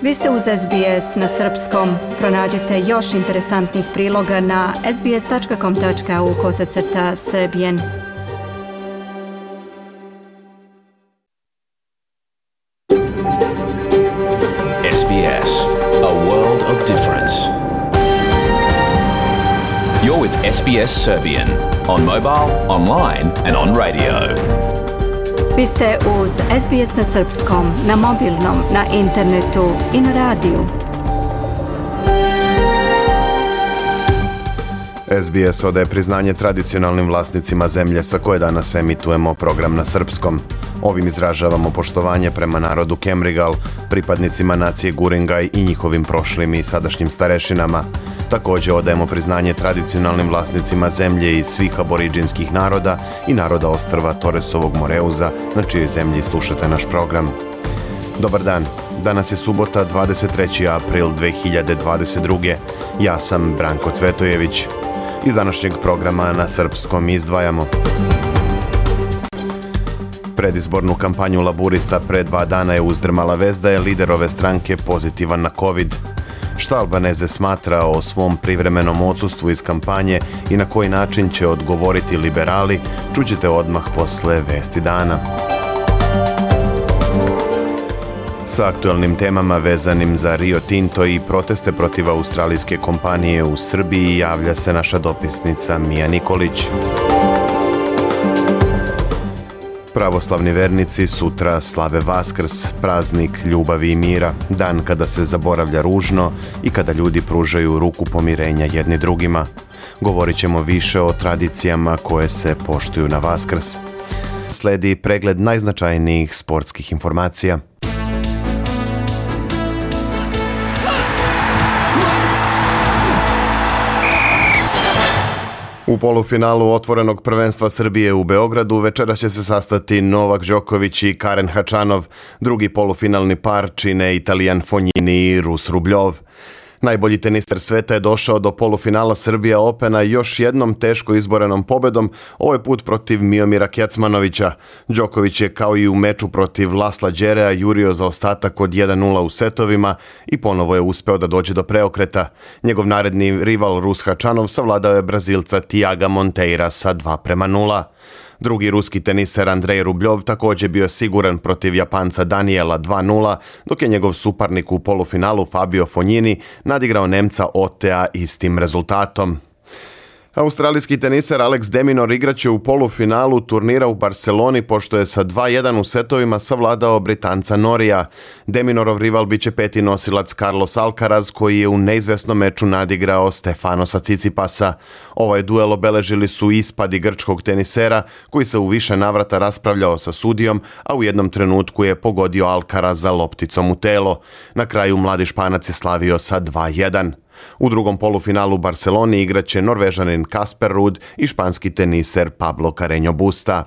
Vi ste uz SBS na srpskom. Pronađite još interesantnih priloga na sbs.com.au/srbijen. SBS, a world of difference. You're with SBS Serbian on mobile, online and on radio. Vi ste uz SBS na srpskom, na mobilnom, na internetu i na radiju. SBS odaje priznanje tradicionalnim vlasnicima zemlje sa koje danas emitujemo program na srpskom. Ovim izražavamo poštovanje prema narodu Kemrigal, pripadnicima nacije Guringaj i njihovim prošlim i sadašnjim starešinama. Također odajemo priznanje tradicionalnim vlasnicima zemlje iz svih aboriđinskih naroda i naroda ostrva Toresovog Moreuza, na čijoj zemlji slušate naš program. Dobar dan, danas je subota 23. april 2022. Ja sam Branko Cvetojević. Iz današnjeg programa na srpskom izdvajamo: predizbornu kampanju laburista pre 2 dana je uzdrmala vest da je lider ove stranke pozitivan na COVID. Šta Albaneze smatra o svom privremenom odsustvu iz kampanje i na koji način će odgovoriti liberali, čućete odmah posle vesti dana. Sa aktualnim temama vezanim za Rio Tinto i proteste protiv australijske kompanije u Srbiji javlja se naša dopisnica Mija Nikolić. Pravoslavni vernici sutra slave Vaskrs, praznik ljubavi i mira, dan kada se zaboravlja ružno i kada ljudi pružaju ruku pomirenja jedni drugima. Govorit ćemo više o tradicijama koje se poštuju na Vaskrs. Sledi pregled najznačajnijih sportskih informacija. U polufinalu otvorenog prvenstva Srbije u Beogradu večeras će se sastati Novak Đoković i Karen Hačanov. Drugi polufinalni par čine Italijan Fognini i Rus Rubljov. Najbolji teniser sveta je došao do polufinala Srbija Opena još jednom teško izborenom pobedom, ovaj put protiv Miomira Kecmanovića. Đoković je kao i u meču protiv Lasla Đerea jurio za ostatak od 1:0 u setovima i ponovo je uspeo da dođe do preokreta. Njegov naredni rival Rus Hačanov savladao je Brazilca Tiaga Monteira sa 2:0. Drugi ruski teniser Andrej Rubljov također bio siguran protiv Japanca Daniela 2:0, dok je njegov suparnik u polufinalu Fabio Fognini nadigrao Nemca Otea istim rezultatom. Australijski teniser Alex de Minaur igraće u polufinalu turnira u Barceloni pošto je sa 2:1 u setovima savladao Britanca Norija. De Minaurov rival biće peti nosilac Carlos Alcaraz koji je u neizvesnom meču nadigrao Stefanosa Tsitsipasa. Ovaj duel obeležili su ispadi grčkog tenisera koji se u više navrata raspravljao sa sudijom, a u jednom trenutku je pogodio Alcaraza lopticom u telo. Na kraju mladi Španac je slavio sa 2:1. U drugom polufinalu u Barceloni igraće Norvežanin Casper Ruud i španski teniser Pablo Carreño Busta.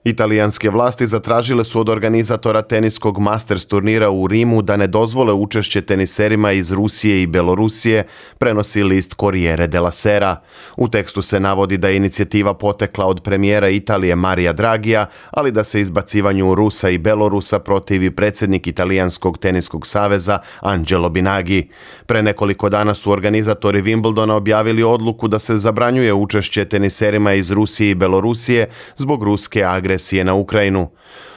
Italijanske vlasti zatražile su od organizatora teniskog Masters turnira u Rimu da ne dozvole učešće teniserima iz Rusije i Belorusije, prenosi list Corriere della Sera. U tekstu se navodi da je inicijativa potekla od premijera Italije Marija Dragija, ali da se izbacivanju Rusa i Belorusa protivi predsjednik Italijanskog teniskog saveza Angelo Binagi. Pre nekoliko dana su organizatori Wimbledona objavili odluku da se zabranjuje učešće teniserima iz Rusije i Belorusije zbog ruske agresije na Ukrajinu.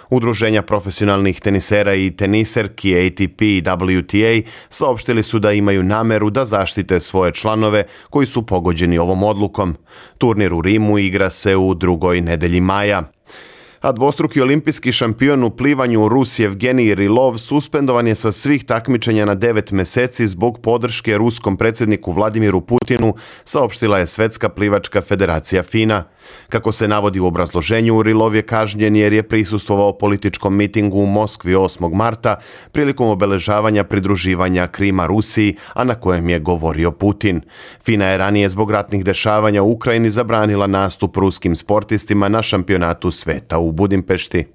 Udruženja profesionalnih tenisera i teniserki ATP i WTA saopštili su da imaju nameru da zaštite svoje članove koji su pogođeni ovom odlukom. Turnir u Rimu igra se u drugoj nedelji maja. A dvostruki olimpijski šampion u plivanju Rus Evgenij Rilov suspendovan je sa svih takmičenja na 9 meseci zbog podrške ruskom predsjedniku Vladimiru Putinu, saopštila je Svetska plivačka federacija FINA. Kako se navodi u obrazloženju, Rilov je kažnjen jer je prisustvovao političkom mitingu u Moskvi 8. marta prilikom obeležavanja pridruživanja Krima Rusiji, a na kojem je govorio Putin. FINA je ranije zbog ratnih dešavanja u Ukrajini zabranila nastup ruskim sportistima na šampionatu sveta u Budimpešti.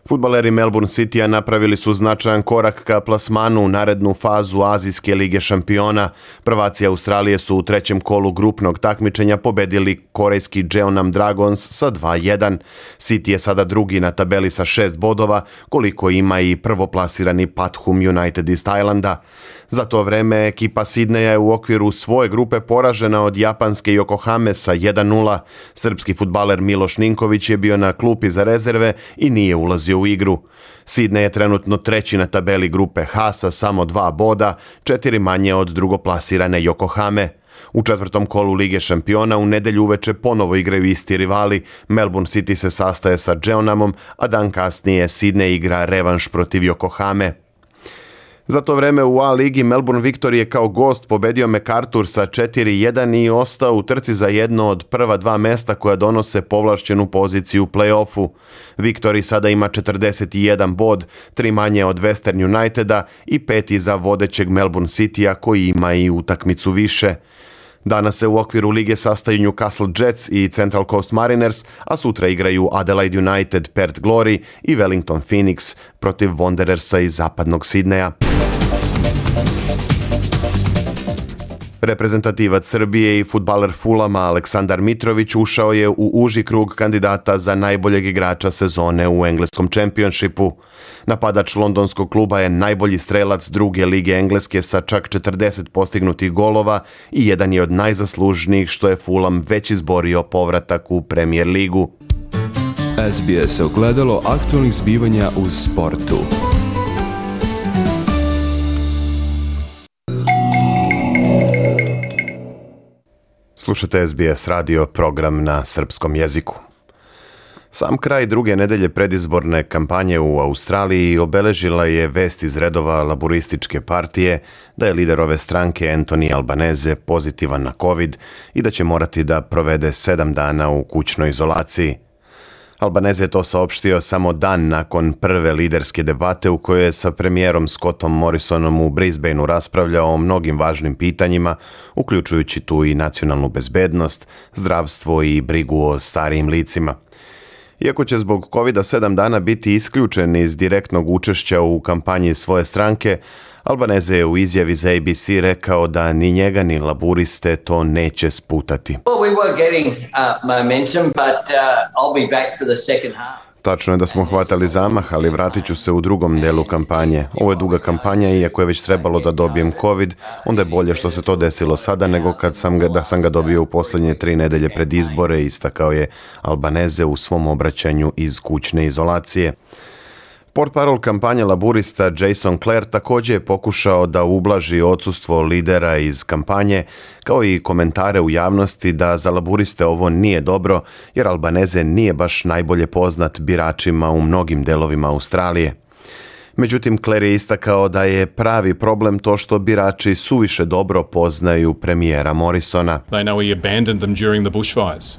Fudbaleri Melbourne Citya napravili su značajan korak ka plasmanu u narednu fazu Azijske lige šampiona. Prvaci Australije su u trećem kolu grupnog takmičenja pobedili korejski Jeonnam Dragons sa 2-1. City je sada drugi na tabeli sa 6 bodova, koliko ima i prvoplasirani Pathum United iz Tajlanda. Za to vreme ekipa Sidneja je u okviru svoje grupe poražena od japanske Yokohame sa 1-0. Srpski fudbaler Miloš Ninković je bio na klupi za rezerve i nije ulazio u igru. Sidney je trenutno treći na tabeli grupe H sa samo 2 boda, 4 manje od drugoplasirane Yokohame. U četvrtom kolu Lige šampiona u nedelju uveče ponovo igraju isti rivali. Melbourne City se sastaje sa Jeonnamom, a dan kasnije Sidney igra revanš protiv Yokohame. Za to vreme u A ligi Melbourne Victory je kao gost pobedio MacArthur sa 4-1 i ostao u trci za jedno od prva 2 mesta koja donose povlašćenu poziciju u play-offu. Victory sada ima 41 bod, 3 manje od Western Uniteda i 5 iza vodećeg Melbourne Citya koji ima i utakmicu više. Danas se u okviru lige sastaju Newcastle Jets i Central Coast Mariners, a sutra igraju Adelaide United, Perth Glory i Wellington Phoenix protiv Wanderersa iz zapadnog Sidneja. Reprezentativac Srbije i fudbaler Fulama Aleksandar Mitrović ušao je u uži krug kandidata za najboljeg igrača sezone u engleskom čempionšipu. Napadač londonskog kluba je najbolji strelac druge lige Engleske sa čak 40 postignutih golova i jedan je od najzaslužnijih što je Fulham već izborio povratak u Premier ligu. SBS ogledalo aktualnih zbivanja u sportu. Slušate SBS radio, program na srpskom jeziku. Sam kraj druge nedelje predizborne kampanje u Australiji obeležila je vest iz redova laburističke partije da je lider ove stranke Anthony Albanese pozitivan na COVID i da će morati da provede 7 dana u kućnoj izolaciji. Albanese je to saopštio samo dan nakon prve liderske debate u kojoj je sa premijerom Scottom Morrisonom u Brisbaneu raspravljao o mnogim važnim pitanjima, uključujući tu i nacionalnu bezbednost, zdravstvo i brigu o starijim licima. Iako će zbog COVID-a 7 dana biti isključen iz direktnog učešća u kampanji svoje stranke, Albanese je u izjavi za ABC rekao da ni njega ni laburiste to neće sputati. Tačno je da smo hvatali zamah, ali vratit ću se u drugom delu kampanje. Ovo je duga kampanja i iako je već trebalo da dobijem COVID, onda je bolje što se to desilo sada nego kad sam ga dobio u posljednje 3 nedelje pred izbore, istakao je Albanese u svom obraćanju iz kućne izolacije. Portparol kampanje laburista Jason Clare također je pokušao da ublaži odsustvo lidera iz kampanje, kao i komentare u javnosti da za laburiste ovo nije dobro, jer Albanese nije baš najbolje poznat biračima u mnogim delovima Australije. Međutim, Clare je istakao da je pravi problem to što birači suviše dobro poznaju premijera Morrisona. They know he abandoned them during the bushfires.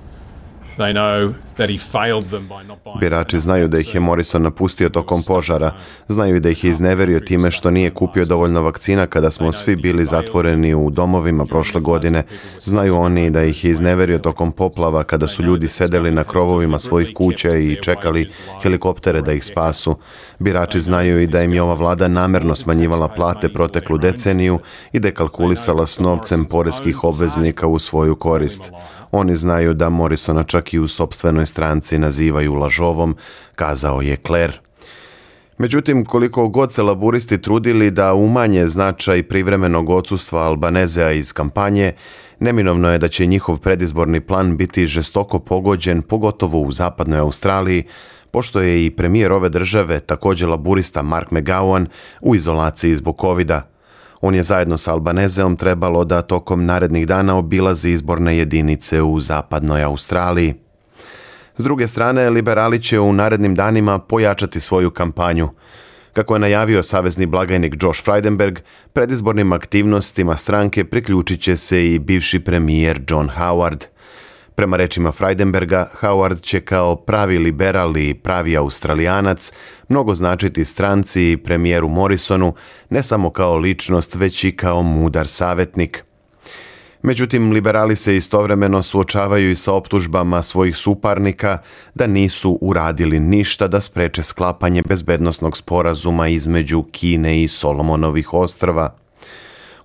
Birači znaju da ih je Morrison napustio tokom požara, znaju i da ih je izneverio time što nije kupio dovoljno vakcina kada smo svi bili zatvoreni u domovima prošle godine, znaju oni da ih je izneverio tokom poplava kada su ljudi sedeli na krovovima svojih kuća i čekali helikoptere da ih spasu. Birači znaju i da im je ova vlada namerno smanjivala plate proteklu deceniju i dekalkulisala s novcem poreskih obveznika u svoju korist. Oni znaju da Morrisona čak i u sopstvenoj stranci nazivaju lažovom, kazao je Clare. Međutim, koliko god se laburisti trudili da umanje značaj privremenog odsustva Albanesea iz kampanje, neminovno je da će njihov predizborni plan biti žestoko pogođen, pogotovo u zapadnoj Australiji, pošto je i premijer ove države, također laburista Mark McGowan, u izolaciji zbog COVID-a. On je zajedno sa Albaneseom trebalo da tokom narednih dana obilazi izborne jedinice u zapadnoj Australiji. S druge strane, liberali će u narednim danima pojačati svoju kampanju. Kako je najavio savezni blagajnik Josh Frydenberg, predizbornim aktivnostima stranke priključit će se i bivši premijer John Howard. Prema rečima Frydenberga, Howard će kao pravi liberal i pravi Australijanac mnogo značiti stranci i premijeru Morrisonu, ne samo kao ličnost, već i kao mudar savjetnik. Međutim, liberali se istovremeno suočavaju i sa optužbama svojih suparnika da nisu uradili ništa da spreče sklapanje bezbednosnog sporazuma između Kine i Solomonovih ostrva.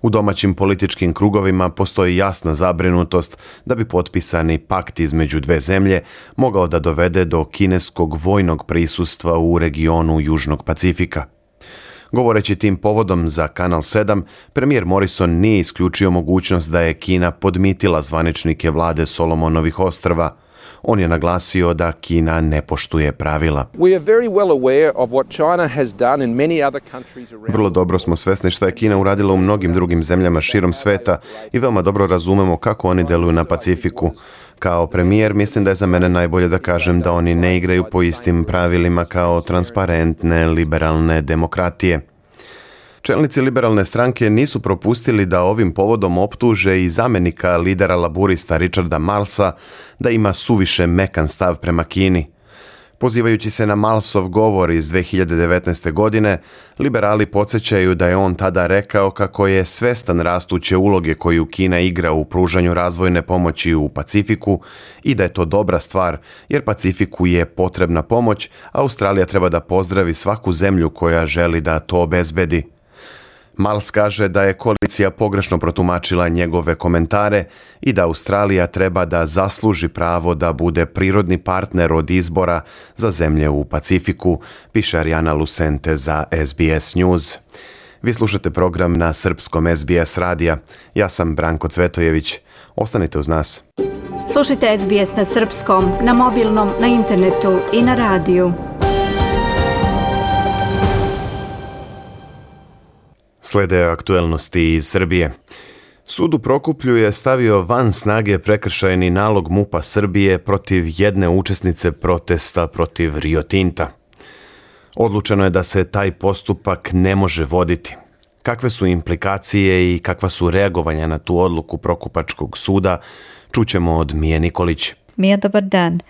U domaćim političkim krugovima postoji jasna zabrinutost da bi potpisani pakt između dve zemlje mogao da dovede do kineskog vojnog prisustva u regionu Južnog Pacifika. Govoreći tim povodom za Kanal 7, premijer Morrison nije isključio mogućnost da je Kina podmitila zvaničnike vlade Solomonovih ostrva. On je naglasio da Kina ne poštuje pravila. Vrlo dobro smo svesni što je Kina uradila u mnogim drugim zemljama širom sveta i veoma dobro razumemo kako oni deluju na Pacifiku. Kao premijer mislim da je za mene najbolje da kažem da oni ne igraju po istim pravilima kao transparentne, liberalne demokratije. Čelnici liberalne stranke nisu propustili da ovim povodom optuže i zamenika lidera laburista Richarda Marlsa da ima suviše mekan stav prema Kini. Pozivajući se na Marlsov govor iz 2019. godine, liberali podsjećaju da je on tada rekao kako je svestan rastuće uloge koju Kina igra u pružanju razvojne pomoći u Pacifiku i da je to dobra stvar, jer Pacifiku je potrebna pomoć, a Australija treba da pozdravi svaku zemlju koja želi da to obezbedi. Marls kaže da je koalicija pogrešno protumačila njegove komentare i da Australija treba da zasluži pravo da bude prirodni partner od izbora za zemlje u Pacifiku, piše Arijana Lucente za SBS News. Vi slušate program na srpskom SBS radija. Ja sam Branko Cvetojević. Ostanite uz nas. Slušajte SBS na srpskom, na mobilnom, na internetu i na radiju. Slede aktuelnosti iz Srbije. Sud u Prokuplju je stavio van snage prekršajni nalog MUP-a Srbije protiv jedne učesnice protesta protiv Rio Tinta. Odlučeno je da se taj postupak ne može voditi. Kakve su implikacije i kakva su reagovanja na tu odluku Prokupačkog suda, čućemo od Mije Nikolić. Mija, dobar dan.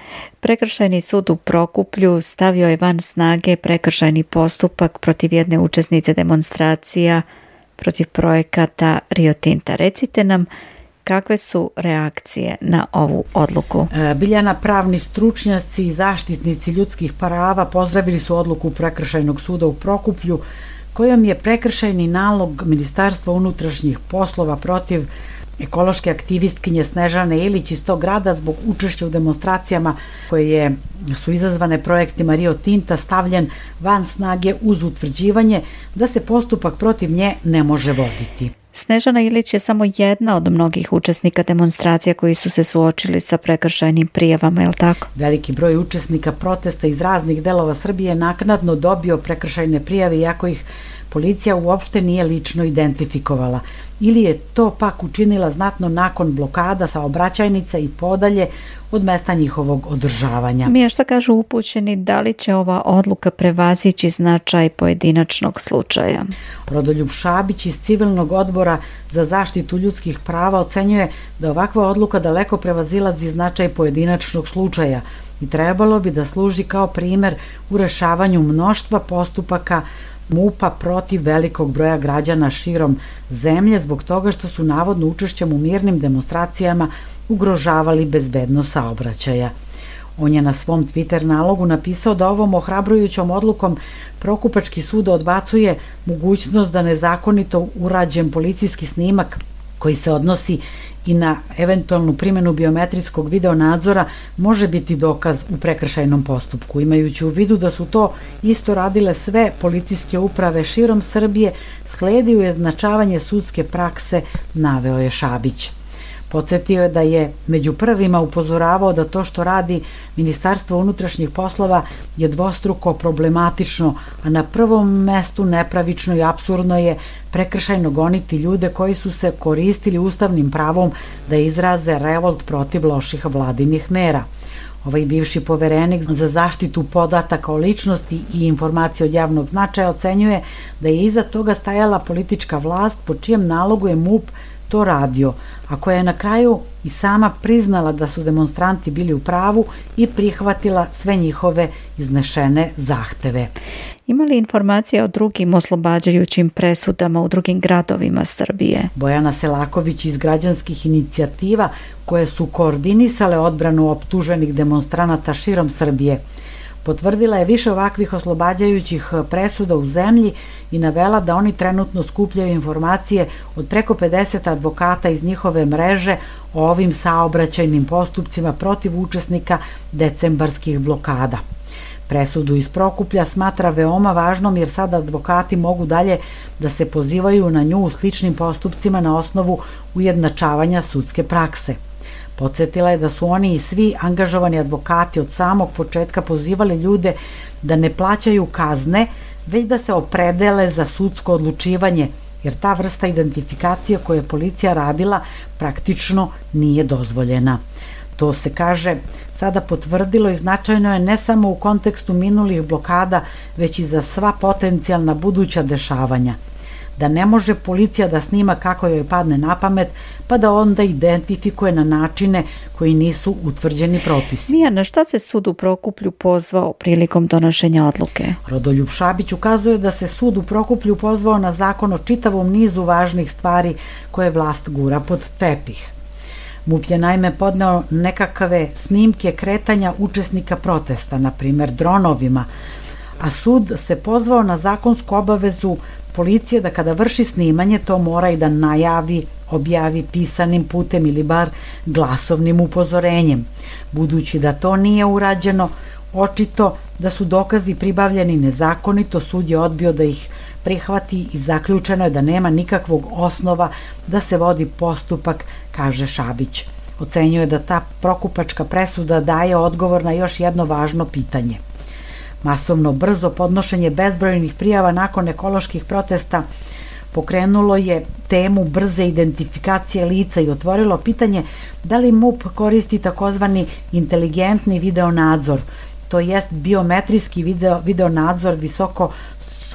Prekršajni sud u Prokuplju stavio je van snage prekršajni postupak protiv jedne učesnice demonstracija protiv projekata Rio Tinta. Recite nam kakve su reakcije na ovu odluku. Biljana, pravni stručnjaci i zaštitnici ljudskih prava pozdravili su odluku Prekršajnog suda u Prokuplju kojom je prekršajni nalog Ministarstva unutrašnjih poslova protiv ekološke aktivistkinje Snežane Ilić iz tog grada zbog učešća u demonstracijama koje su izazvane projektima Rio Tinta stavljen van snage uz utvrđivanje da se postupak protiv nje ne može voditi. Snežana Ilić je samo jedna od mnogih učesnika demonstracija koji su se suočili sa prekršajnim prijavama, je li tako? Veliki broj učesnika protesta iz raznih delova Srbije naknadno dobio prekršajne prijave iako ih policija uopšte nije lično identifikovala. Ili je to pak učinila znatno nakon blokada saobraćajnica i podalje od mesta njihovog održavanja. Mija, šta kažu upućeni, da li će ova odluka prevazići značaj pojedinačnog slučaja? Rodoljub Šabić iz Civilnog odbora za zaštitu ljudskih prava ocenjuje da ovakva odluka daleko prevazilazi značaj pojedinačnog slučaja i trebalo bi da služi kao primer u rešavanju mnoštva postupaka MUP-a protiv velikog broja građana širom zemlje zbog toga što su navodno učešćem u mirnim demonstracijama ugrožavali bezbednost saobraćaja. On je na svom Twitter nalogu napisao da ovom ohrabrujućom odlukom Prokupački sud odbacuje mogućnost da nezakonito urađen policijski snimak koji se odnosi i na eventualnu primjenu biometrijskog videonadzora može biti dokaz u prekršajnom postupku. Imajući u vidu da su to isto radile sve policijske uprave širom Srbije, sledi ujednačavanje sudske prakse, naveo je Šabić. Podsjetio je da je među prvima upozoravao da to što radi Ministarstvo unutrašnjih poslova je dvostruko problematično, a na prvom mestu nepravično i apsurdno je prekršajno goniti ljude koji su se koristili ustavnim pravom da izraze revolt protiv loših vladinih mera. Ovaj bivši poverenik za zaštitu podataka o ličnosti i informacije od javnog značaja ocenjuje da je iza toga stajala politička vlast po čijem nalogu je MUP to radio, a koja je na kraju i sama priznala da su demonstranti bili u pravu i prihvatila sve njihove iznešene zahteve. Ima li informacija o drugim oslobađajućim presudama u drugim gradovima Srbije? Bojana Selaković iz građanskih inicijativa koje su koordinisale odbranu optuženih demonstranata širom Srbije potvrdila je više ovakvih oslobađajućih presuda u zemlji i navela da oni trenutno skupljaju informacije od preko 50 advokata iz njihove mreže o ovim saobraćajnim postupcima protiv učesnika decembarskih blokada. Presudu iz Prokuplja smatra veoma važnom jer sada advokati mogu dalje da se pozivaju na nju u sličnim postupcima na osnovu ujednačavanja sudske prakse. Podsjetila je da su oni i svi angažovani advokati od samog početka pozivali ljude da ne plaćaju kazne, već da se opredele za sudsko odlučivanje, jer ta vrsta identifikacije koju je policija radila praktično nije dozvoljena. To se, kaže, sada potvrdilo i značajno je ne samo u kontekstu minulih blokada, već i za sva potencijalna buduća dešavanja. Da ne može policija da snima kako joj padne na pamet, pa da onda identifikuje na načine koji nisu utvrđeni propisi. Mija, na šta se sud u Prokuplju pozvao prilikom donošenja odluke? Rodoljub Šabić ukazuje da se sud u Prokuplju pozvao na zakon o čitavom nizu važnih stvari koje vlast gura pod tepih. MUP je naime podneo nekakve snimke kretanja učesnika protesta, na primer dronovima, a sud se pozvao na zakonsku obavezu policije da kada vrši snimanje to mora i da najavi, objavi pisanim putem ili bar glasovnim upozorenjem. Budući da to nije urađeno, očito da su dokazi pribavljeni nezakonito, sud je odbio da ih prihvati i zaključeno je da nema nikakvog osnova da se vodi postupak, kaže Šabić. Ocenjuje da ta prokupačka presuda daje odgovor na još jedno važno pitanje. Masovno brzo podnošenje bezbrojnih prijava nakon ekoloških protesta pokrenulo je temu brze identifikacije lica i otvorilo pitanje da li MUP koristi takozvani inteligentni videonadzor, to jest biometrijski videonadzor visoko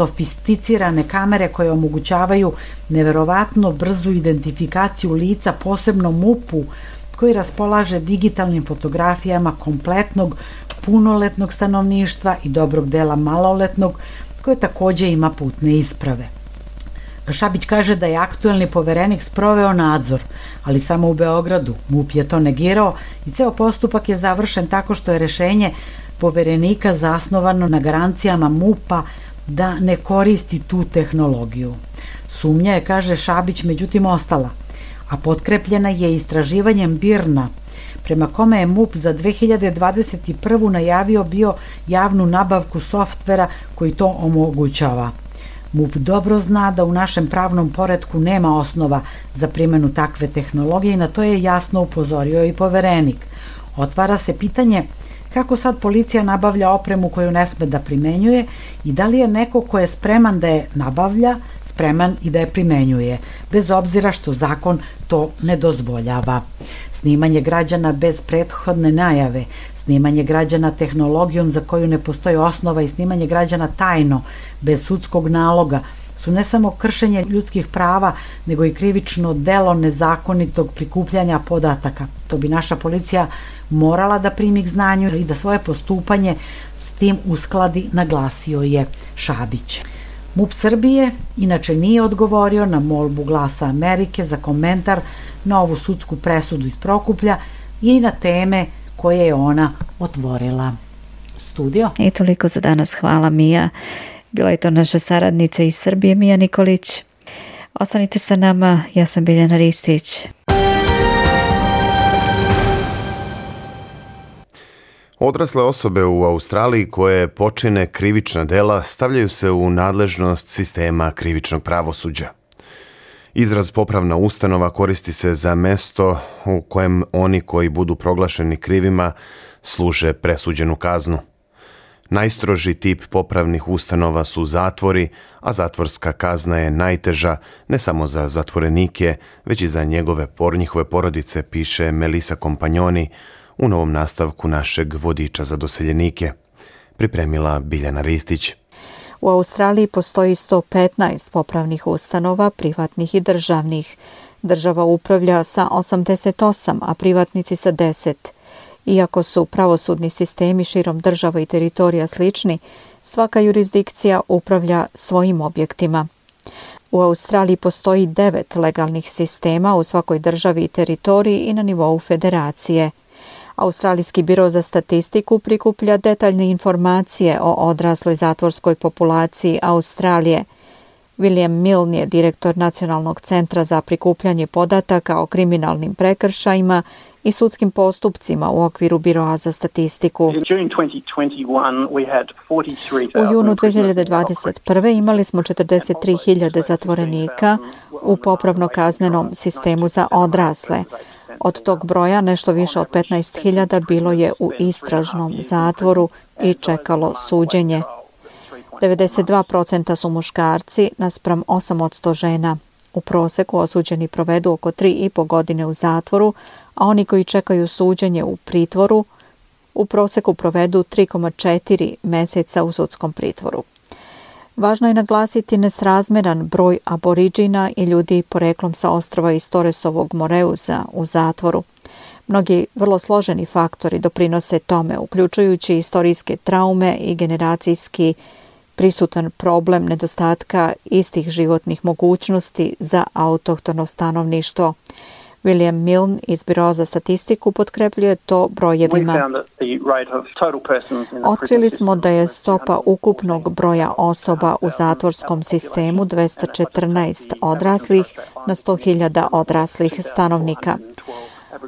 sofisticirane kamere koje omogućavaju neverovatno brzu identifikaciju lica, posebno MUP-u koji raspolaže digitalnim fotografijama kompletnog punoletnog stanovništva i dobrog dela maloletnog, koje takođe ima putne isprave. Šabić kaže da je aktuelni poverenik sproveo nadzor, ali samo u Beogradu. MUP je to negirao i ceo postupak je završen tako što je rešenje poverenika zasnovano na garancijama MUP-a da ne koristi tu tehnologiju. Sumnja je, kaže Šabić, međutim ostala, a potkrepljena je istraživanjem BIRN-a, prema kome je MUP za 2021. najavio bio javnu nabavku softvera koji to omogućava. MUP dobro zna da u našem pravnom poretku nema osnova za primjenu takve tehnologije i na to je jasno upozorio i poverenik. Otvara se pitanje kako sad policija nabavlja opremu koju ne sme da primenjuje i da li je neko ko je spreman da je nabavlja, spreman i da je primenjuje, bez obzira što zakon to ne dozvoljava. Snimanje građana bez prethodne najave, snimanje građana tehnologijom za koju ne postoji osnova i snimanje građana tajno, bez sudskog naloga, su ne samo kršenje ljudskih prava, nego i krivično delo nezakonitog prikupljanja podataka. To bi naša policija morala da primi k znanju i da svoje postupanje s tim uskladi, naglasio je Šabić. MUP Srbije inače nije odgovorio na molbu Glasa Amerike za komentar na ovu sudsku presudu iz Prokuplja i na teme koje je ona otvorila. Studio. I toliko za danas. Hvala, Mija. Bila je to naša saradnica iz Srbije, Mija Nikolić. Ostanite sa nama, ja sam Biljana Ristić. Odrasle osobe u Australiji koje počine krivična dela stavljaju se u nadležnost sistema krivičnog pravosuđa. Izraz popravna ustanova koristi se za mesto u kojem oni koji budu proglašeni krivima služe presuđenu kaznu. Najstroži tip popravnih ustanova su zatvori, a zatvorska kazna je najteža ne samo za zatvorenike, već i za njihove porodice, piše Melisa Kompanjoni u novom nastavku našeg vodiča za doseljenike. Pripremila Biljana Ristić. U Australiji postoji 115 popravnih ustanova, privatnih i državnih. Država upravlja sa 88, a privatnici sa 10. Iako su pravosudni sistemi širom država i teritorija slični, svaka jurisdikcija upravlja svojim objektima. U Australiji postoji 9 legalnih sistema u svakoj državi i teritoriji i na nivou federacije. Australijski biro za statistiku prikuplja detaljne informacije o odrasloj zatvorskoj populaciji Australije. William Milne je direktor Nacionalnog centra za prikupljanje podataka o kriminalnim prekršajima i sudskim postupcima u okviru Biroa za statistiku. U junu 2021. imali smo 43.000 zatvorenika u popravno-kaznenom sistemu za odrasle. Od tog broja nešto više od 15.000 bilo je u istražnom zatvoru i čekalo suđenje. 92% su muškarci naspram 8% žena. U proseku osuđeni provedu oko 3,5 godine u zatvoru, a oni koji čekaju suđenje u pritvoru u proseku provedu 3,4 meseca u sudskom pritvoru. Važno je naglasiti nesrazmeran broj aboriđina i ljudi poreklom sa ostrva iz Torresovog Moreuza u zatvoru. Mnogi vrlo složeni faktori doprinose tome, uključujući istorijske traume i generacijski prisutan problem nedostatka istih životnih mogućnosti za autohtono stanovništvo. William Milne iz Biroa za statistiku potkrepljuje to brojevima. Otkrili smo da je stopa ukupnog broja osoba u zatvorskom sistemu 214 odraslih na 100.000 odraslih stanovnika.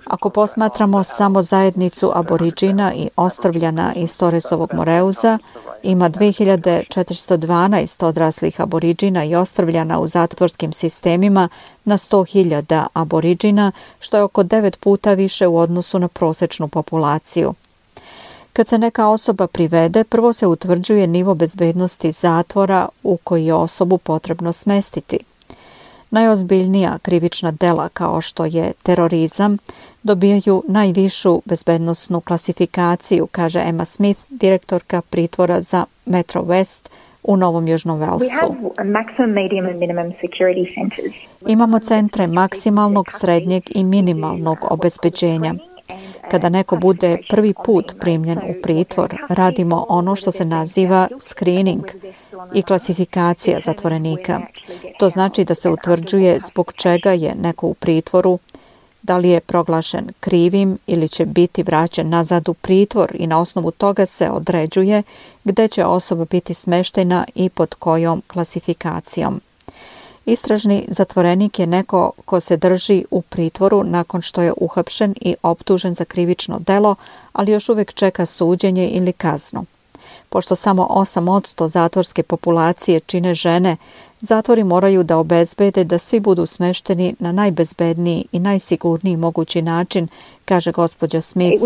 Ako posmatramo samo zajednicu aboriđina i ostrvljana iz Torresovog Moreuza, ima 2412 odraslih aboriđina i ostrvljana u zatvorskim sistemima na 100.000 aboriđina, što je oko 9 puta više u odnosu na prosečnu populaciju. Kad se neka osoba privede, prvo se utvrđuje nivo bezbednosti zatvora u koji je osobu potrebno smestiti. Najozbiljnija krivična dela kao što je terorizam dobijaju najvišu bezbednosnu klasifikaciju, kaže Emma Smith, direktorka pritvora za Metro West u Novom Južnom Velsu. Imamo centre maksimalnog, srednjeg i minimalnog obezbeđenja. Kada neko bude prvi put primljen u pritvor, radimo ono što se naziva screening i klasifikacija zatvorenika. To znači da se utvrđuje zbog čega je neko u pritvoru, da li je proglašen krivim ili će biti vraćen nazad u pritvor i na osnovu toga se određuje gde će osoba biti smeštena i pod kojom klasifikacijom. Istražni zatvorenik je neko ko se drži u pritvoru nakon što je uhapšen i optužen za krivično delo, ali još uvijek čeka suđenje ili kaznu. Pošto samo 8% zatvorske populacije čine žene, zatvori moraju da obezbede da svi budu smešteni na najbezbedniji i najsigurniji mogući način, kaže gospođa Smith.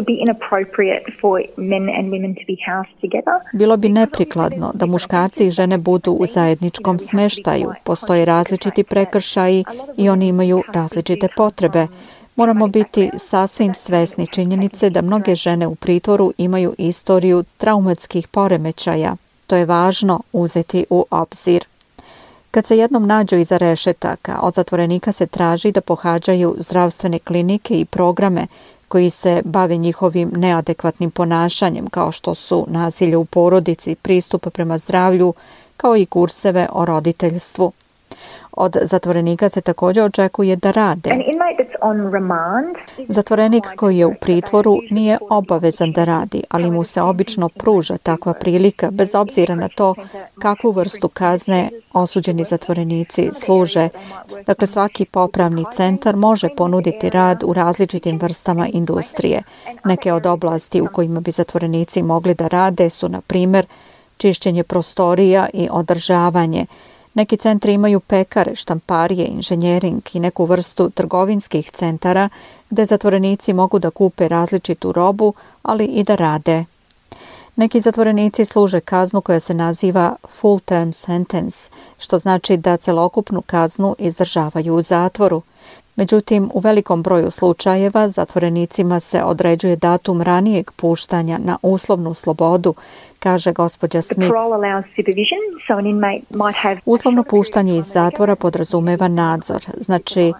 Bilo bi neprikladno da muškarci i žene budu u zajedničkom smeštaju. Postoje različiti prekršaji i oni imaju različite potrebe. Moramo biti sasvim svesni činjenice da mnoge žene u pritvoru imaju istoriju traumatskih poremećaja. To je važno uzeti u obzir. Kad se jednom nađu iza rešetaka, od zatvorenika se traži da pohađaju zdravstvene klinike i programe koji se bave njihovim neadekvatnim ponašanjem, kao što su nasilje u porodici, pristup prema zdravlju, kao i kurseve o roditeljstvu. Od zatvorenika se također očekuje da rade. Zatvorenik koji je u pritvoru nije obavezan da radi, ali mu se obično pruža takva prilika bez obzira na to kakvu vrstu kazne osuđeni zatvorenici služe. Dakle, svaki popravni centar može ponuditi rad u različitim vrstama industrije. Neke od oblasti u kojima bi zatvorenici mogli da rade su, na primjer, čišćenje prostorija i održavanje. Neki centri imaju pekare, štamparije, inženjering i neku vrstu trgovinskih centara gde zatvorenici mogu da kupe različitu robu, ali i da rade. Neki zatvorenici služe kaznu koja se naziva full term sentence, što znači da celokupnu kaznu izdržavaju u zatvoru. Međutim, u velikom broju slučajeva zatvorenicima se određuje datum ranijeg puštanja na uslovnu slobodu, kaže gospođa Smith. Uslovno puštanje iz zatvora podrazumeva nadzor. Znači,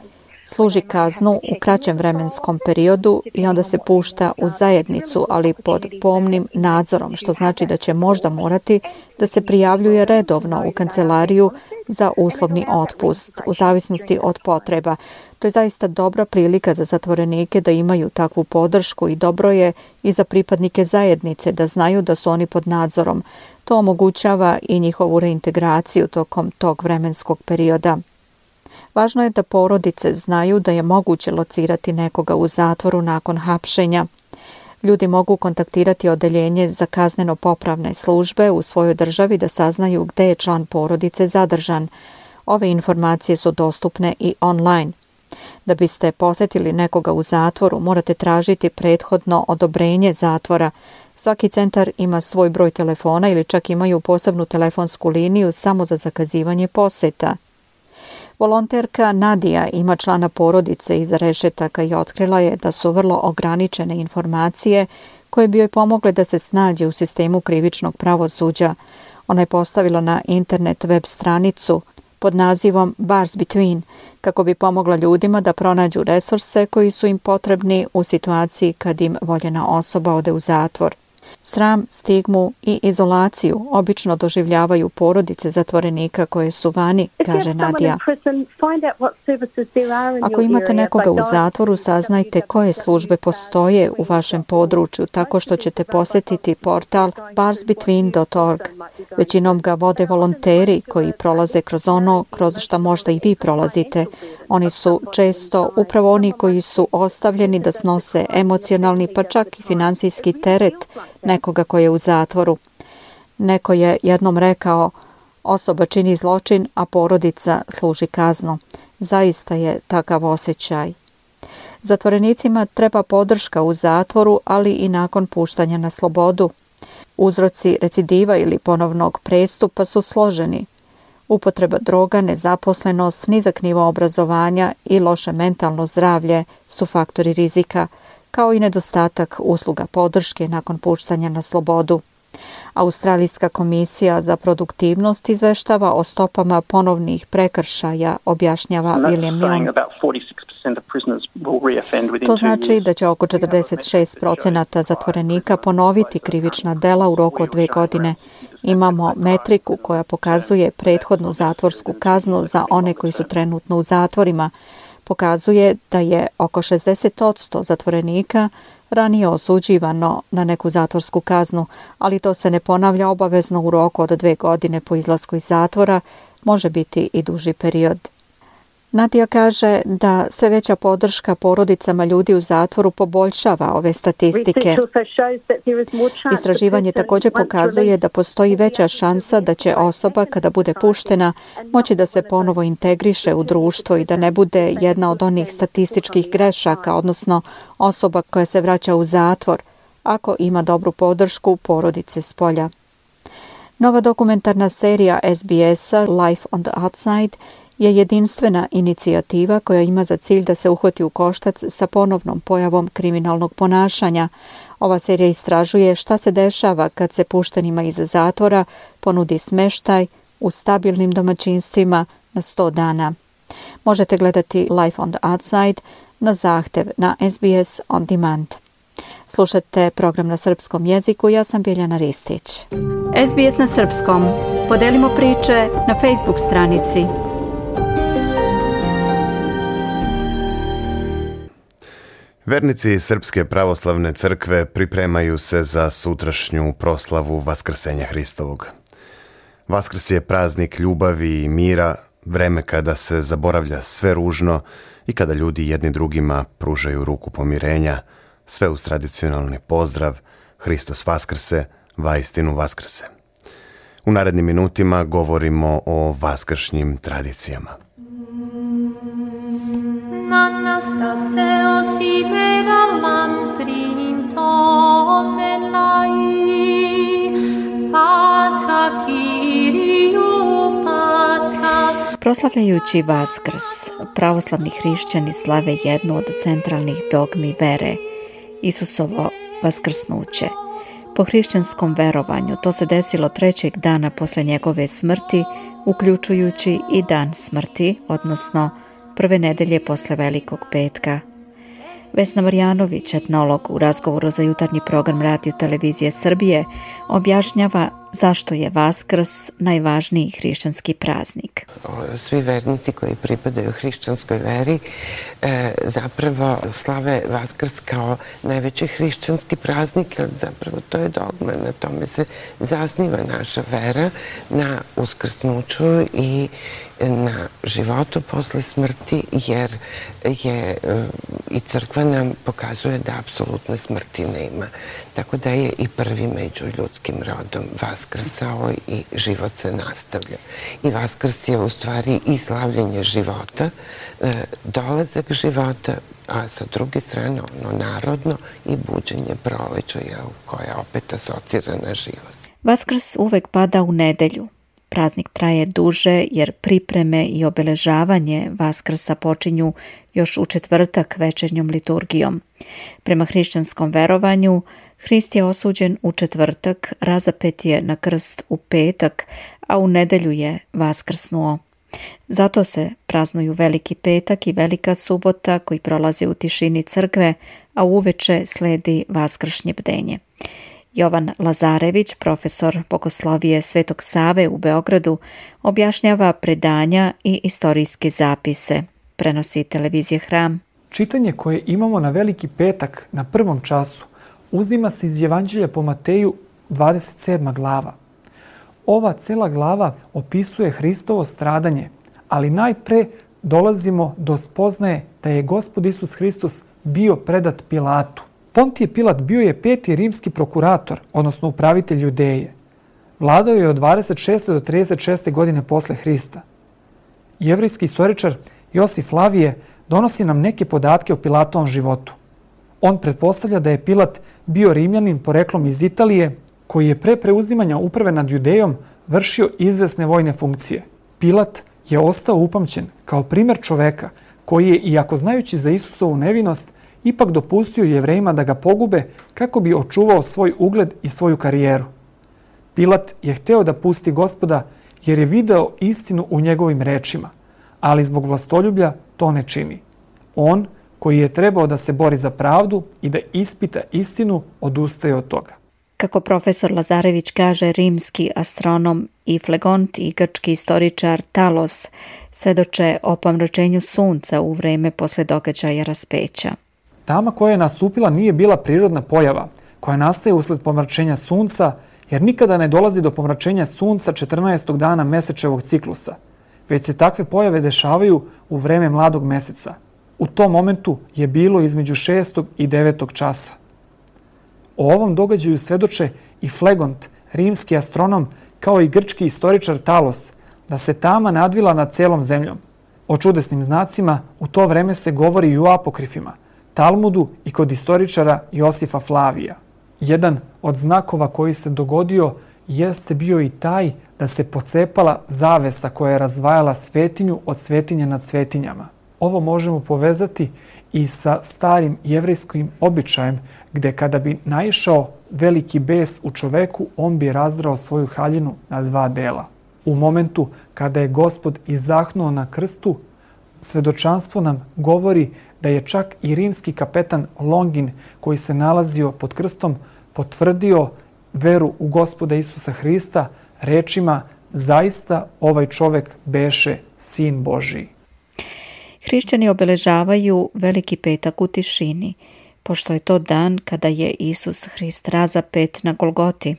služi kaznu u kraćem vremenskom periodu i onda se pušta u zajednicu, ali pod pomnim nadzorom, što znači da će možda morati da se prijavljuje redovno u kancelariju za uslovni otpust, u zavisnosti od potreba. To je zaista dobra prilika za zatvorenike da imaju takvu podršku i dobro je i za pripadnike zajednice da znaju da su oni pod nadzorom. To omogućava i njihovu reintegraciju tokom tog vremenskog perioda. Važno je da porodice znaju da je moguće locirati nekoga u zatvoru nakon hapšenja. Ljudi mogu kontaktirati odeljenje za kazneno-popravne službe u svojoj državi da saznaju gde je član porodice zadržan. Ove informacije su dostupne i online. Da biste posetili nekoga u zatvoru, morate tražiti prethodno odobrenje zatvora. Svaki centar ima svoj broj telefona ili čak imaju posebnu telefonsku liniju samo za zakazivanje poseta. Volonterka Nadija ima člana porodice iza rešetaka i otkrila je da su vrlo ograničene informacije koje bi joj pomogle da se snađe u sistemu krivičnog pravosuđa. Ona je postavila na internet web stranicu pod nazivom Bars Between kako bi pomogla ljudima da pronađu resurse koji su im potrebni u situaciji kad im voljena osoba ode u zatvor. Sram, stigmu i izolaciju obično doživljavaju porodice zatvorenika koje su vani, kaže Nadija. Ako imate nekoga u zatvoru, saznajte koje službe postoje u vašem području tako što ćete posjetiti portal barsbetween.org. Većinom ga vode volonteri koji prolaze kroz ono kroz što možda i vi prolazite. Oni su često upravo oni koji su ostavljeni da snose emocionalni pa čak i finansijski teret nekoga koji je u zatvoru. Neko je jednom rekao, osoba čini zločin, a porodica služi kaznu. Zaista je takav osjećaj. Zatvorenicima treba podrška u zatvoru, ali i nakon puštanja na slobodu. Uzroci recidiva ili ponovnog prestupa su složeni. Upotreba droga, nezaposlenost, nizak nivo obrazovanja i loše mentalno zdravlje su faktori rizika, kao i nedostatak usluga podrške nakon puštanja na slobodu. Australijska komisija za produktivnost izveštava o stopama ponovnih prekršaja, objašnjava William Milne. To znači da će oko 46% zatvorenika ponoviti krivična dela u roku od 2 godine. Imamo metriku koja pokazuje prethodnu zatvorsku kaznu za one koji su trenutno u zatvorima. Pokazuje da je oko 60% zatvorenika ranije osuđivano na neku zatvorsku kaznu, ali to se ne ponavlja obavezno u roku od 2 godine po izlasku iz zatvora, može biti i duži period. Nadija kaže da sve veća podrška porodicama ljudi u zatvoru poboljšava ove statistike. Istraživanje također pokazuje da postoji veća šansa da će osoba kada bude puštena moći da se ponovo integriše u društvo i da ne bude jedna od onih statističkih grešaka, odnosno osoba koja se vraća u zatvor, ako ima dobru podršku porodice s polja. Nova dokumentarna serija SBS-a Life on the Outside je jedinstvena inicijativa koja ima za cilj da se uhvati u koštac sa ponovnom pojavom kriminalnog ponašanja. Ova serija istražuje šta se dešava kad se puštenima iz zatvora ponudi smeštaj u stabilnim domaćinstvima na 100 dana. Možete gledati Life on the Outside na zahtev na SBS On Demand. Slušate program na srpskom jeziku, ja sam Biljana Ristić. SBS na srpskom. Podelimo priče na Facebook stranici. Vernici Srpske pravoslavne crkve pripremaju se za sutrašnju proslavu Vaskrsenja Hristovog. Vaskrs je praznik ljubavi i mira, vreme kada se zaboravlja sve ružno i kada ljudi jedni drugima pružaju ruku pomirenja, sve uz tradicionalni pozdrav Hristos Vaskrse, vaistinu Vaskrse. U narednim minutima govorimo o vaskršnjim tradicijama. Proslavljajući Vaskrs, pravoslavni hrišćani slave jednu od centralnih dogmi vere, Isusovo vaskrsnuće. Po hrišćanskom verovanju to se desilo 3. dana posle njegove smrti, uključujući i dan smrti, odnosno prve nedelje posle Velikog petka. Vesna Marjanović, etnolog, u razgovoru za jutarnji program Radio Televizije Srbije, objašnjava zašto je Vaskrs najvažniji hrišćanski praznik. Svi vernici koji pripadaju hrišćanskoj veri zapravo slave Vaskrs kao najveći hrišćanski praznik, jer zapravo to je dogma, na tome se zasniva naša vera, na uskrsnuću i na životu posle smrti, jer je i crkva nam pokazuje da apsolutne smrti nema. Tako da je i prvi među ljudskim rodom vaskrsao i život se nastavlja. I Vaskrs je u stvari i slavljenje života, dolazak života, a sa druge strane ono narodno i buđenje proleća, koja opet asocira na život. Vaskrs uvek pada u nedelju. Praznik traje duže jer pripreme i obeležavanje Vaskrsa počinju još u četvrtak večernjom liturgijom. Prema hrišćanskom verovanju, Hrist je osuđen u četvrtak, razapet je na krst u petak, a u nedelju je vaskrsnuo. Zato se praznuju Veliki petak i Velika subota koji prolaze u tišini crkve, a uveče sledi vaskršnje bdenje. Jovan Lazarević, profesor bogoslovije Svetog Save u Beogradu, objašnjava predanja i istorijske zapise. Prenosi televizija Hram. Čitanje koje imamo na Veliki petak na prvom času uzima se iz Evanđelja po Mateju 27. glava. Ova cela glava opisuje Hristovo stradanje, ali najpre dolazimo do spoznaje da je Gospod Isus Hristos bio predat Pilatu. Pontije Pilat bio je 5. rimski prokurator, odnosno upravitelj Judeje. Vladao je od 26. do 36. godine posle Hrista. Jevrejski istoričar Josif Flavije donosi nam neke podatke o Pilatovom životu. On pretpostavlja da je Pilat bio Rimljanin poreklom iz Italije, koji je pre preuzimanja uprave nad Judejom vršio izvesne vojne funkcije. Pilat je ostao upamćen kao primer čoveka koji je, iako znajući za Isusovu nevinost, ipak dopustio Jevrejima da ga pogube kako bi očuvao svoj ugled i svoju karijeru. Pilat je hteo da pusti Gospoda jer je video istinu u njegovim rečima, ali zbog vlastoljublja to ne čini. On, koji je trebao da se bori za pravdu i da ispita istinu, odustaje od toga. Kako profesor Lazarević kaže, rimski astronom i flegont i grčki istoričar Talos svedoče o pomračenju sunca u vreme posle događaja raspeća. Tama koja je nastupila nije bila prirodna pojava koja nastaje usled pomračenja sunca, jer nikada ne dolazi do pomračenja sunca 14. dana mesečevog ciklusa, već se takve pojave dešavaju u vreme mladog meseca. U tom momentu je bilo između 6. i 9. časa. O ovom događaju svedoče i Flegont, rimski astronom, kao i grčki istoričar Talos, da se tama nadvila nad celom zemljom. O čudesnim znacima u to vreme se govori i u apokrifima, Talmudu i kod istoričara Josifa Flavija. Jedan od znakova koji se dogodio jeste bio i taj da se pocepala zavesa koja je razdvajala svetinju od svetinje nad svetinjama. Ovo možemo povezati i sa starim jevrejskim običajem, gde kada bi naišao veliki bes u čoveku, on bi razdrao svoju haljinu na dva dela. U momentu kada je Gospod izdahnuo na krstu, svedočanstvo nam govori da je čak i rimski kapetan Longin, koji se nalazio pod krstom, potvrdio veru u Gospoda Isusa Hrista rečima: zaista ovaj čovek beše sin Božiji. Hrišćani obeležavaju Veliki petak u tišini, pošto je to dan kada je Isus Hrist razapet na Golgoti.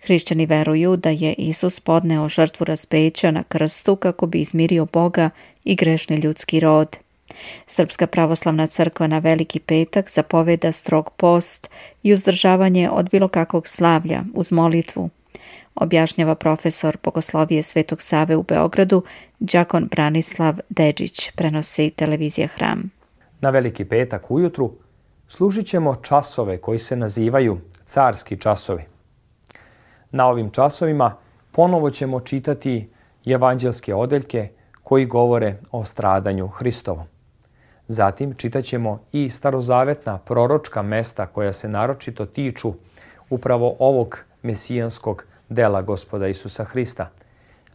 Hrišćani veruju da je Isus podneo žrtvu raspeća na krstu kako bi izmirio Boga i grešni ljudski rod. Srpska pravoslavna crkva na Veliki petak zapoveda strog post i uzdržavanje od bilo kakvog slavlja uz molitvu, objašnjava profesor bogoslovije Svetog Save u Beogradu, đakon Branislav Deđić, prenosi televizija Hram. Na Veliki petak ujutru služit ćemo časove koji se nazivaju carski časovi. Na ovim časovima ponovo ćemo čitati evanđelske odeljke koji govore o stradanju Hristovom. Zatim čitaćemo i starozavetna proročka mesta koja se naročito tiču upravo ovog mesijanskog dela Gospoda Isusa Hrista.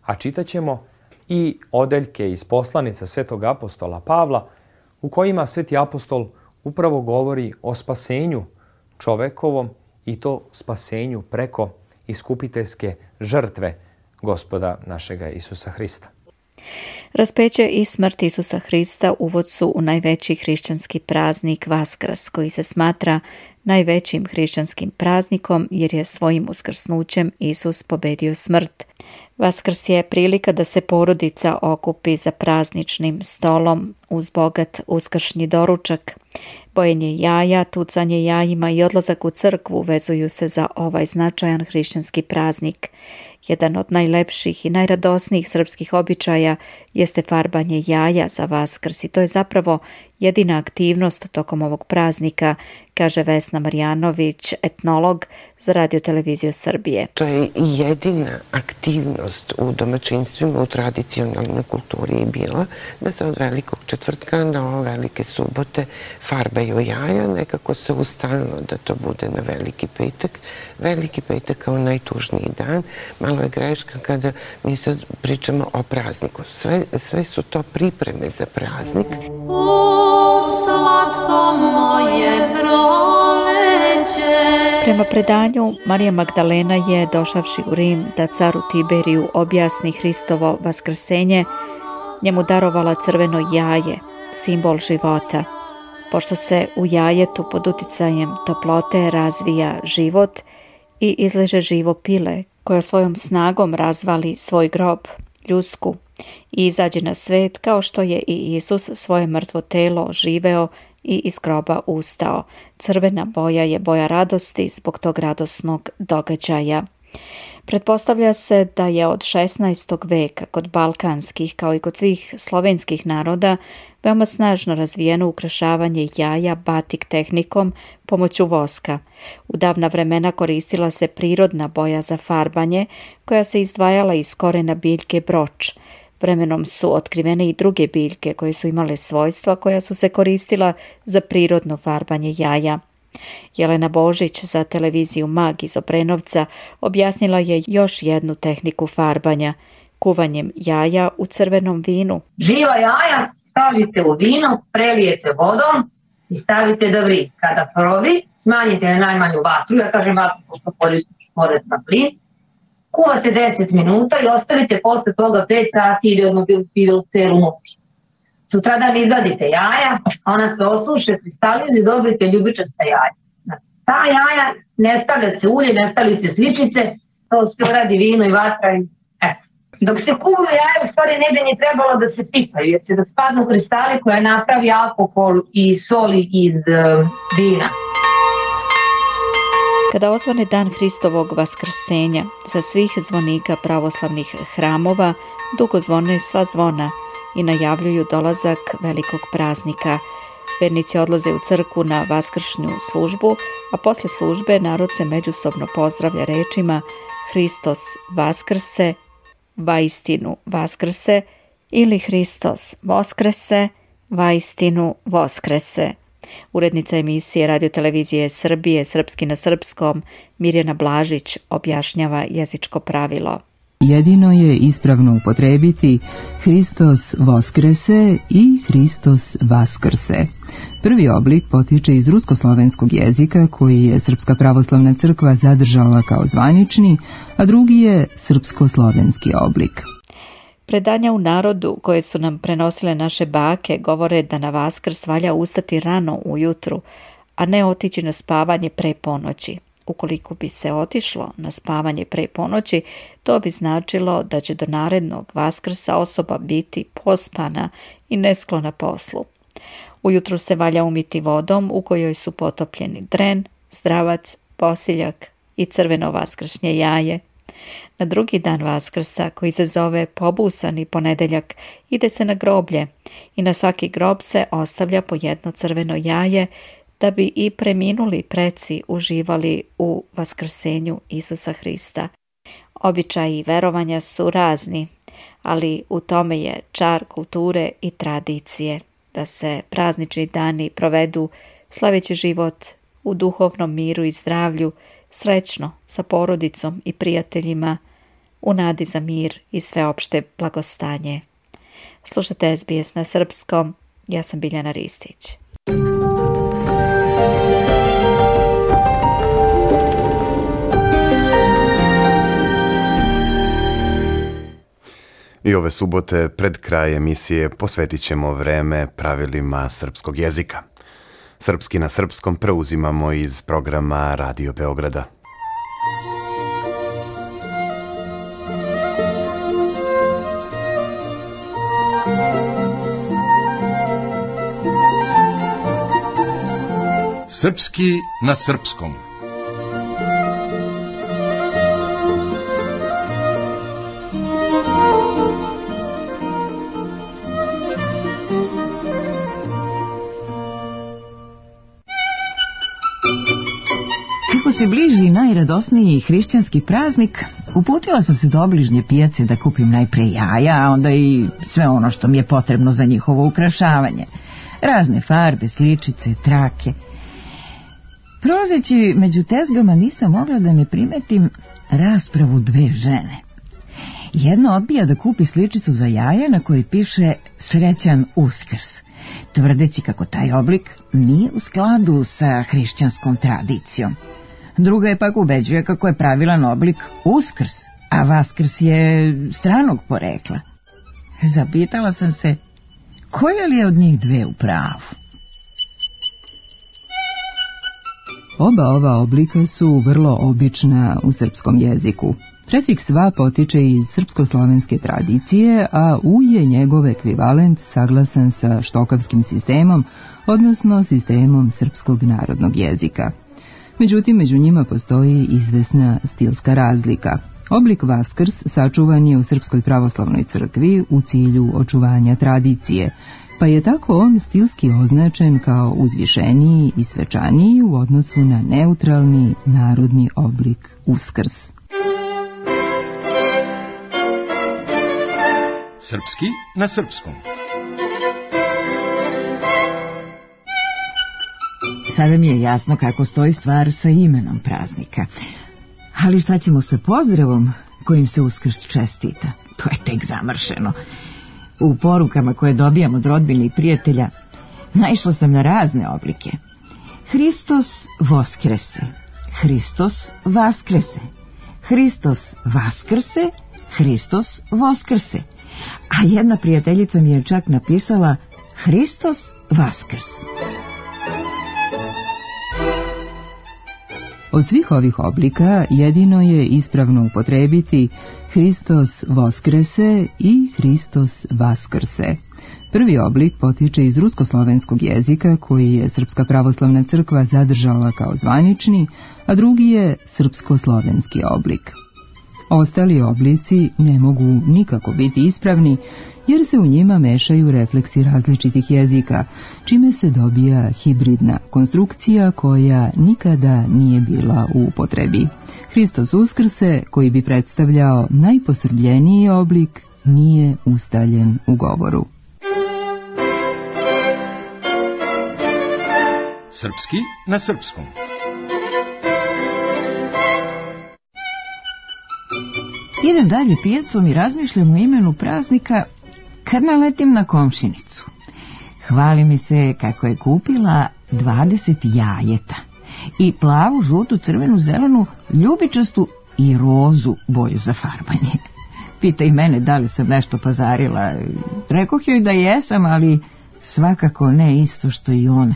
A čitaćemo i odeljke iz poslanica svetog apostola Pavla, u kojima sveti apostol upravo govori o spasenju čovekovom i to spasenju preko iskupiteljske žrtve Gospoda našega Isusa Hrista. Raspeće i smrt Isusa Hrista uvod su u najveći hrišćanski praznik Vaskrs, koji se smatra najvećim hrišćanskim praznikom jer je svojim uskrsnućem Isus pobedio smrt. Vaskrs je prilika da se porodica okupi za prazničnim stolom uz bogat uskršnji doručak. Bojenje jaja, tucanje jajima i odlazak u crkvu vezuju se za ovaj značajan hrišćanski praznik. Jedan od najlepših i najradosnijih srpskih običaja jeste farbanje jaja za Vaskrs i to je zapravo jedina aktivnost tokom ovog praznika, kaže Vesna Marjanović, etnolog za Radio-televiziju Srbije. To je jedina aktivnost u domaćinstvima, u tradicionalnoj kulturi je bila da se od velikog četvrtka do velike subote farbaju jaja. Nekako se ustavilo da to bude na veliki petak. Veliki petak kao najtužniji dan. Malo je greška kada mi sad pričamo o prazniku. Sve su to pripreme za praznik. Prema predanju, Marija Magdalena je, došavši u Rim da caru Tiberiju objasni Hristovo vaskrsenje, njemu darovala crveno jaje, simbol života. Pošto se u jajetu pod uticajem toplote razvija život i izleže živo pile, koja svojom snagom razvali svoj grob, ljusku, i izađe na svet kao što je i Isus svoje mrtvo telo živeo i iz groba ustao. Crvena boja je boja radosti zbog tog radosnog događaja. Pretpostavlja se da je od 16. veka kod balkanskih kao i kod svih slovenskih naroda veoma snažno razvijeno ukrašavanje jaja batik tehnikom pomoću voska. U davna vremena koristila se prirodna boja za farbanje koja se izdvajala iz korena biljke broč. Vremenom su otkrivene i druge biljke koje su imale svojstva koja su se koristila za prirodno farbanje jaja. Jelena Božić za televiziju Mag iz Obrenovca objasnila je još jednu tehniku farbanja, kuvanjem jaja u crvenom vinu. Živa jaja stavite u vino, prelijete vodom i stavite da vri. Kada provri, smanjite na najmanju vatru, ja kažem vatru pošto koristim spored na plin, kuvate 10 minuta i ostavite posle toga 5 sati ili odmah bilo celu noć. Sutradan izvadite jaja, ona se osuše, kristalizuju i dobijete ljubičasta jaja. Ta jaja ne stavlja se ulje, ne stavljaju se sličice, to sve radi vino i vatra i eto. Dok se kuvaju jaja, u stvari ne bi ni trebalo da se pipaju, jer će da spadnu kristali koja napravi alkohol i soli iz vina. Kada osvane dan Hristovog vaskrsenja, sa svih zvonika pravoslavnih hramova dugo zvone sva zvona i najavljuju dolazak velikog praznika. Vernici odlaze u crkvu na vaskršnju službu, a posle službe narod se međusobno pozdravlja rečima Hristos vaskrse, vaistinu vaskrse ili Hristos voskrese, vaistinu voskrese. Urednica emisije Radio-televizije Srbije Srpski na srpskom Mirjana Blažić objašnjava jezičko pravilo. Jedino je ispravno upotrebiti Hristos voskrese i Hristos vaskrse. Prvi oblik potiče iz ruskoslovenskog jezika koji je Srpska pravoslavna crkva zadržala kao zvanični, a drugi je srpsko-slovenski oblik. Predanja u narodu koje su nam prenosile naše bake govore da na Vaskrs valja ustati rano ujutru, a ne otići na spavanje pre ponoći. Ukoliko bi se otišlo na spavanje pre ponoći, to bi značilo da će do narednog Vaskrsa osoba biti pospana i nesklona poslu. Ujutru se valja umiti vodom u kojoj su potopljeni dren, zdravac, posiljak i crveno vaskršnje jaje. Na drugi dan Vaskrsa, koji se zove pobusani ponedeljak, ide se na groblje i na svaki grob se ostavlja po jedno crveno jaje da bi i preminuli preci uživali u vaskrsenju Isusa Hrista. Običaji i verovanja su razni, ali u tome je čar kulture i tradicije, da se praznični dani provedu slaveći život u duhovnom miru i zdravlju, srećno sa porodicom i prijateljima, u nadi za mir i sveopšte blagostanje. Slušate SBS na srpskom, ja sam Biljana Ristić. I ove subote pred kraj emisije posvetit ćemo vreme pravilima srpskog jezika. Srpski na srpskom preuzimamo iz programa Radio Beograda. Srpski na srpskom. Kako se bliži najradosniji hrišćanski praznik, uputila sam se do obližnje pijace da kupim najpre jaja, a onda i sve ono što mi je potrebno za njihovo ukrašavanje. Razne farbe, sličice, trake. Prolazeći među tezgama nisam mogla da ne primetim raspravu dve žene. Jedna odbija da kupi sličicu za jaja na kojoj piše Srećan Uskrs, tvrdeći kako taj oblik nije u skladu sa hrišćanskom tradicijom. Druga je pak ubeđuje kako je pravilan oblik Uskrs, a Vaskrs je stranog porekla. Zapitala sam se, koja li je od njih dve u pravu? Oba ova oblika su vrlo obična u srpskom jeziku. Prefiks va potiče iz srpsko-slovenske tradicije, a u je njegov ekvivalent saglasan sa štokavskim sistemom, odnosno sistemom srpskog narodnog jezika. Međutim, među njima postoji izvesna stilska razlika. Oblik Vaskrs sačuvan je u Srpskoj pravoslavnoj crkvi u cilju očuvanja tradicije, pa je tako on stilski označen kao uzvišeniji i svečaniji u odnosu na neutralni narodni oblik Uskrs. Srpski na srpskom. Sada mi je jasno kako stoji stvar sa imenom praznika. Ali šta ćemo sa pozdravom kojim se Uskrs čestita? To je tek zamršeno. U porukama koje dobijam od rodbine i prijatelja naišla sam na razne oblike. Hristos Voskrese, Hristos Vaskrese, Hristos Vaskrse, Hristos Voskrse. A jedna prijateljica mi je čak napisala Hristos Vaskrs. Od svih ovih oblika jedino je ispravno upotrebiti Hristos Voskrese i Hristos Vaskrse. Prvi oblik potiče iz ruskoslovenskog jezika koji je Srpska pravoslavna crkva zadržala kao zvanični, a drugi je srpsko-slovenski oblik. Ostali oblici ne mogu nikako biti ispravni jer se u njima mešaju refleksi različitih jezika, čime se dobija hibridna konstrukcija koja nikada nije bila u upotrebi. Hristos Uskrse, koji bi predstavljao najposrbljeniji oblik, nije ustaljen u govoru. Srpski na srpskom. Idem dalje pijacom i razmišljam o imenu praznika kad naletim na komšinicu. Hvali mi se kako je kupila 20 jajeta i plavu, žutu, crvenu, zelenu, ljubičastu i rozu boju za farbanje. Pita i mene da li sam nešto pazarila. Rekoh joj da jesam, ali svakako ne isto što i ona.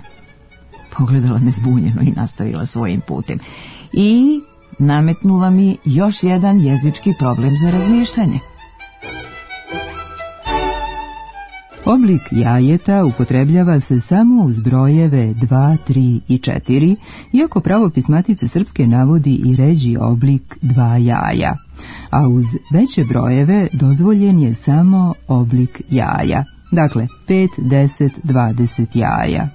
Pogledala me zbunjeno i nastavila svojim putem. I nametnula mi još jedan jezički problem za razmišljanje. Oblik jajeta upotrebljava se samo uz brojeve 2, 3 i 4, iako pravopis Matice Srpske navodi i ređi oblik 2 jaja, a uz veće brojeve dozvoljen je samo oblik jaja, dakle 5, 10, 20 jaja.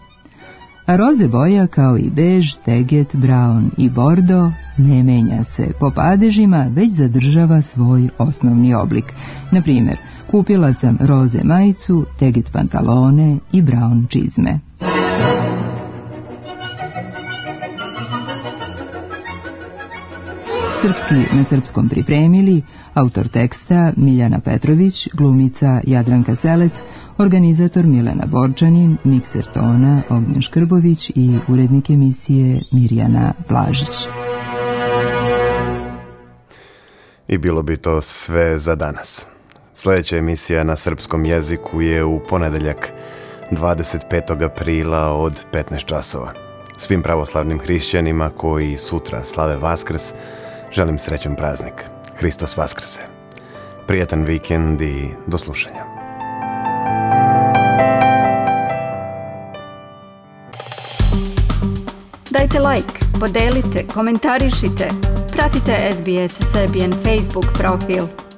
A roze boja kao i bež, teget, braun i bordo ne menja se po padežima, već zadržava svoj osnovni oblik. Na primjer, kupila sam roze majicu, teget pantalone i braun čizme. Srpski na srpskom pripremili autor teksta Miljana Petrović, glumica Jadranka Selec, organizator Milena Borčanin, mikser tona Ognjen Škrbović i urednik emisije Mirjana Blažić. I bilo bi to sve za danas. Sljedeća emisija na srpskom jeziku je u ponedeljak 25. aprila od 15 časova. Svim pravoslavnim hrišćanima koji sutra slave Vaskrs želim srećan praznik. Hristos Vaskrse. Prijetan vikend i do slušanja. Dajte like, podelite, komentarišite. Pratite SBS Serbian Facebook profil.